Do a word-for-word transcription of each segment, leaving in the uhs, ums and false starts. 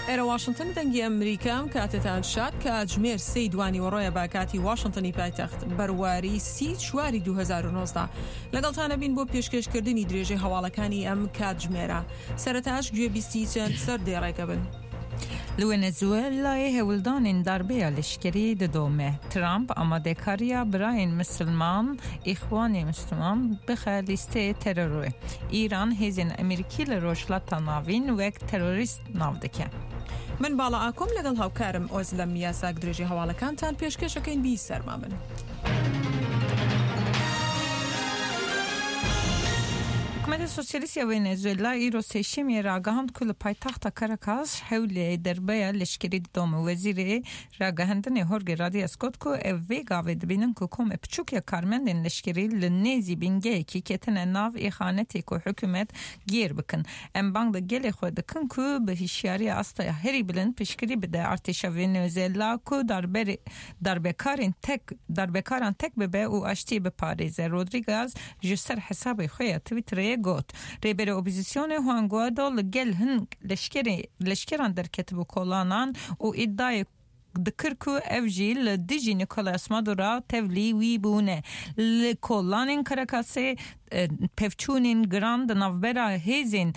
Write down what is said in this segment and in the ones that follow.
ئێرە واشنتن دەنگی ئەمریکام کاتێتان شاد کاتژمێر سێی دوانیوەڕۆیە بە کاتی واشنتنی پایتەخت بەرواری سی چواری دوو هەزار و نۆزدە لەگەڵتانە بین بۆ پێشکێشکردنی درێژەی هەواڵەکانی ئەم کاتژمێرە. سەرەتاش گوێبیستی چەند سەردێڕێکە بن. لە ڤەنزوێلایێ هەوڵدانێن داربەیا لەشکەری ددۆمێ. ترامپ ئامادەکارییا برایێن مسلمان ئیخوانی مسلمان بخە لیستەیێ تێرۆرێ. ئیران هێزێن ئەمریکی لە ڕۆژهەڵاتا ناڤین وەک تێرۆریست ناو دکە. من باڵا ئاکۆم لەگەڵ هاوکارم ئۆزلەم یاساک درێژەی هەواڵەکانتان پێشکێشەکەین بی سەرما بن. حکومەتە سۆسیالیست یا ڤەنزوێلا ئیرۆ سێشەمیێ ڕاگەهاند کو لە پایتەختا کاراکاس هەولێ دەربەیا لەشکەری ددۆمێ. وەزیرێ ڕاگەهاندنێ هۆرگێ ڕادیاس گوت کو ئەو ڤێ گاڤێ دبینن کو کۆمێ پچووک یا کارمەندێن لەشکەری لە نێزی بینگەیەکی کەتنە ناڤ ئیخانەتێ کو حکومەت گێر بکن. ئەم بانگ لە گەلێ خوە دکن کو بە هشیارییا ئاستیا هەری بلند پشتگیری بدە ئەرتێشا ڤەنزوێلا کو داربەکارێن تەک داربەکاران تەک ببە و ئاشتیێ بپارێزێ. ڕۆدریگاز ژ سەر حسابێ خوە یا تویتەرێ گوت ڕێبەرێ ئۆپۆزیسیۆنێ خوان گوایدۆ لە گەل هن لەشکەران دەرکەتبوو کۆلانان و ئیددیای دکر کو ئەو ژی لە دژی نیکۆلاس مادورا تەڤلی وی بوونە. لە کۆلانێن کاراکاسێ پێڤچوونێن گران د ناڤبەرا هێزێن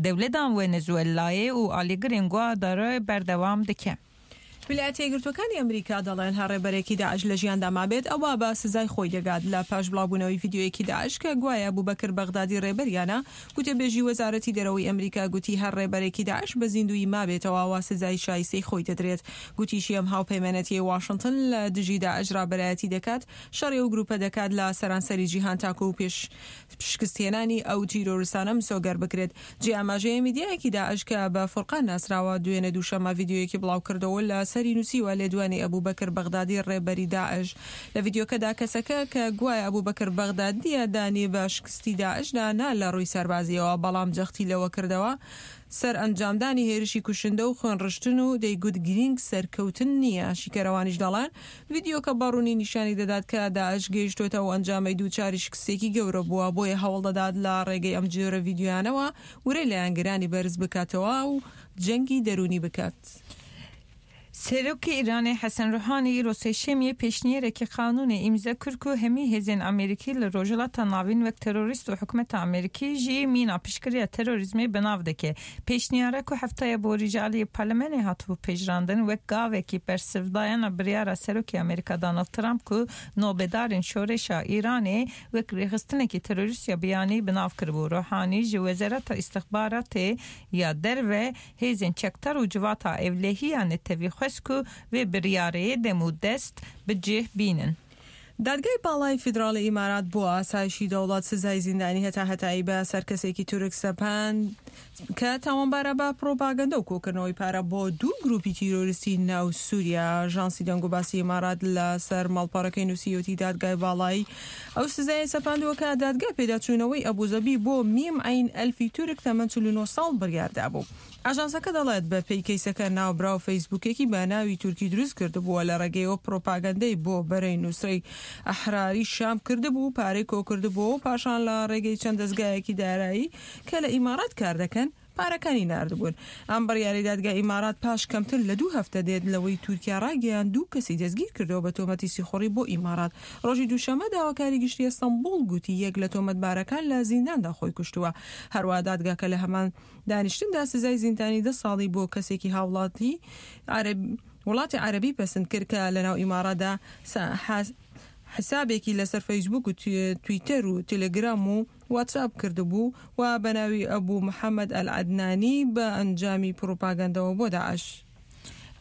دەولەتا ڤەنزوێلایێ و ئالیگرێن گوایدۆ بەردەوام دکە. ویلایەتە یەکگرتووەکانی ئەمریکا دەڵێن هەر ڕێبەرێکی داعش لە ژیاندا مابێت ئەوە بە سزای خۆی دەگات. لە پاش بڵاوبوونەوەی ڤیدیۆیەکی داعش کە گوایە ئەبوبەکر بەغدادی ڕێبەریانە، گوتەبێژی وەزارەتی دەرەوەی ئەمریکا گوتی هەر ڕێبەرێکی داعش بە زیندوویی مابێتەوە ئەوە سزای شایستەی خۆی دەدرێت. گوتیشی ئەم هاوپەیمانەتیەی واشنتن لە دژی داعش ڕابەرایەتی دەکات شەڕی ئەو گروپە دەکات لە سەرانسەری جیهان تاکو پێش شکستهێنانی ئەو تیرۆریستانە مسۆگەر بکرێت. جێ ئاماژەیە میدیایەکی داعش کە بە فورقان ناسراوە دوێنێ دووشەممە ڤیدیۆیەکی بڵاوکردەوە لە سەری نووسیوە لێدوانی ئەبوبەکر بەغدادی ڕێبەری داعش. لە ڤیدیۆکەدا کەسەکە کە گوایە ئەبوبەکر بەغدادیە دانی بە شکستی داعشدا نا لە ڕووی سەربازیەوە، بەڵام جەختی لەوە کردەوە سەر ئەنجامدانی هێرشی کوشندە و خوێنڕشتن و دەیگوت گرینگ سەرکەوتن نییە. شیکەرەوانیش دەڵێن ڤیدیۆکە بەڕوونی نیشانی دەدات کە داعش گەیشتۆتە و ئەنجامەی دووچاری شکستێکی گەورە بووە، بۆیە هەوڵ دەدات لە ڕێگەی ئەم جۆرە ڤیدیۆیانەوە ورەی لایەنگرانی بەرز بکاتەوە و جەنگی دەروونی بکات. سەرۆکێ ئیرانێ حەسەن ڕۆحانی ئیرۆ سێشەمیێ پێشنیارێکی قانوونێ ئیمزا کر کو هەمی هێزێن ئەمریکی لە ڕۆژهەڵاتا ناڤین وەک تێرۆریست و حکومەتا ئەمریکی ژی مینا پشتگیرییا تێرۆریزمێ بەناڤ دکە. پێشنیارە کو هەفتەیا بۆری ژ ئالیێ پەرلەمانێ هاتبوو پەژراندن وەک گاڤێکی بەرسڤداینا بریارا سەرۆکێ ئەمریکا داناڵد ترامپ کو نۆبەدارێن شۆڕشا ئیرانێ وەک ڕێخستنێکی تێرۆریست یا بیانی بەناڤ کربوو. ڕۆحانی ژ وەزارەتا ئیستخباراتێ یا دەرڤە هێزێن چەکدار و جڤاتا ئەولەهییا نەتەڤی خوەست کو ڤێ بریارێ دەم و دەست بجێ بینن. دادگای باڵای فیدراڵی ئیمارات بۆ ئاسایشی دەوڵەت سزای زیندانی هەتا هەتایی بە سەر کەسێکی تورک سەپاند کە تاوانبارە بە پرۆپاگەندە و کۆکردنەوەی پارە بۆ دوو گروپی تیرۆریستی ناو سووریا. ئاژانسی دەنگوباسی ئیمارات لەسەر ماڵپەڕەکەی نووسیوەتی دادگای باڵایی ئەو سزایە سەپاندووە کە دادگا پێداچوونەوەی ئەبوزەبی بۆ میم عەین ئەلفی تورک تەمەن چل و نۆ ساڵ بڕیاردابوو. ئاژانسەکە دەڵێت بە پێی کەیسەکە ناوبراو فەیسبووکێکی بە ناوی تورکی دروست کردبووە، لە ڕێگەیەوە پرۆپاگەندەی بۆ بەرەی نووسرەی ئەحراری شام کردبوو، پارەی کۆکردبووەوە و پاشان لە ڕێگەی چەند دەزگایەکی دارایی کە لە ئیمارات کار دەکەن پارەکانی ناردبوون. ئەم بڕیاری دادگای ئیمارات پاش کەمتر لە دوو هەفتە دێت لەوەی تورکیا ڕاگەیاند دوو کەسی دەستگیر کردەوە بە تۆمەتی سیخوڕی بۆ ئیمارات. ڕۆژی دووشەممە داواکاری گشتی ئەستەنبوڵ گوتی یەک لە تۆمەتبارەکان لە زینداندا خۆی کوشتووە. هەروەها دادگاکە لە هەمان دانیشتندا سزای زیندانی دە ساڵی بۆ کەسێکی هاوڵاتی وڵاتی عەرەبی پەسند کرد کە لەناو ئیماراتدا حسابێکی لەسەر فەیسبوک و تویتەر و تەلەگرام و واتساپ کردبوو و بە ناوی ئەبوو محەممەد ئەلعەدنانی بە ئەنجامی پرۆپاگەندەوە بۆ داعش.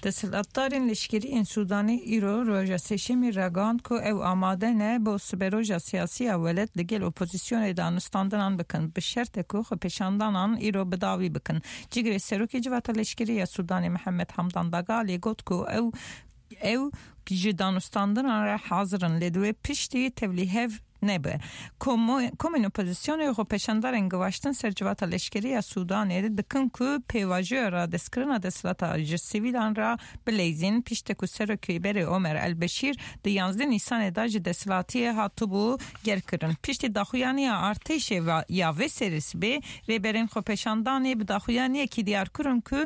دەسەڵاتدارێن لەشکەریێن سودانێ ئیرۆ ڕۆژا سێشەمیێ ڕاگەهاند کو ئەو ئامادە نە بۆ سبەرۆژا سیاسییا وەلێت لەگەل ئۆپۆزیسیۆنێ دانوستاندنان بکن بە شەرتێ کو خۆپێشاندانان ئیرۆ بداوی بکن. جێگرێ سەرۆکێ جڤاتا لەشکەرییا سودانێ محەممەد حەمدان داگالێ گوت کو ئەو ئەو ژ دانوستاندنان ڕە حازرن لێ دوێ پشتی تەڤلیهەڤ نەبێ. کۆمێن ئۆپۆزیسیۆنێ خۆپێشاندەرێن گەڤاشتن سەر جڤاتا لەشکەرییا سودانێ دکن کو پێڤاژۆیا ڕادەستکردنا دەسەڵاتا ژ سیڤیلان ڕە بلەیزین پشتێ کو سەرۆکێ بەرێ ئۆمەر ئەلبەشیر د یانزدە نیسانێ دا ژ دەسەڵاتیێ هاتبوو گەرکردن. پشتی داخویانییا ئەرتێشێ یا ڤێ سەرێ سبێ ڕێبەرێن خۆپێشاندانێ بە داخویانییەکی دیار کرن کو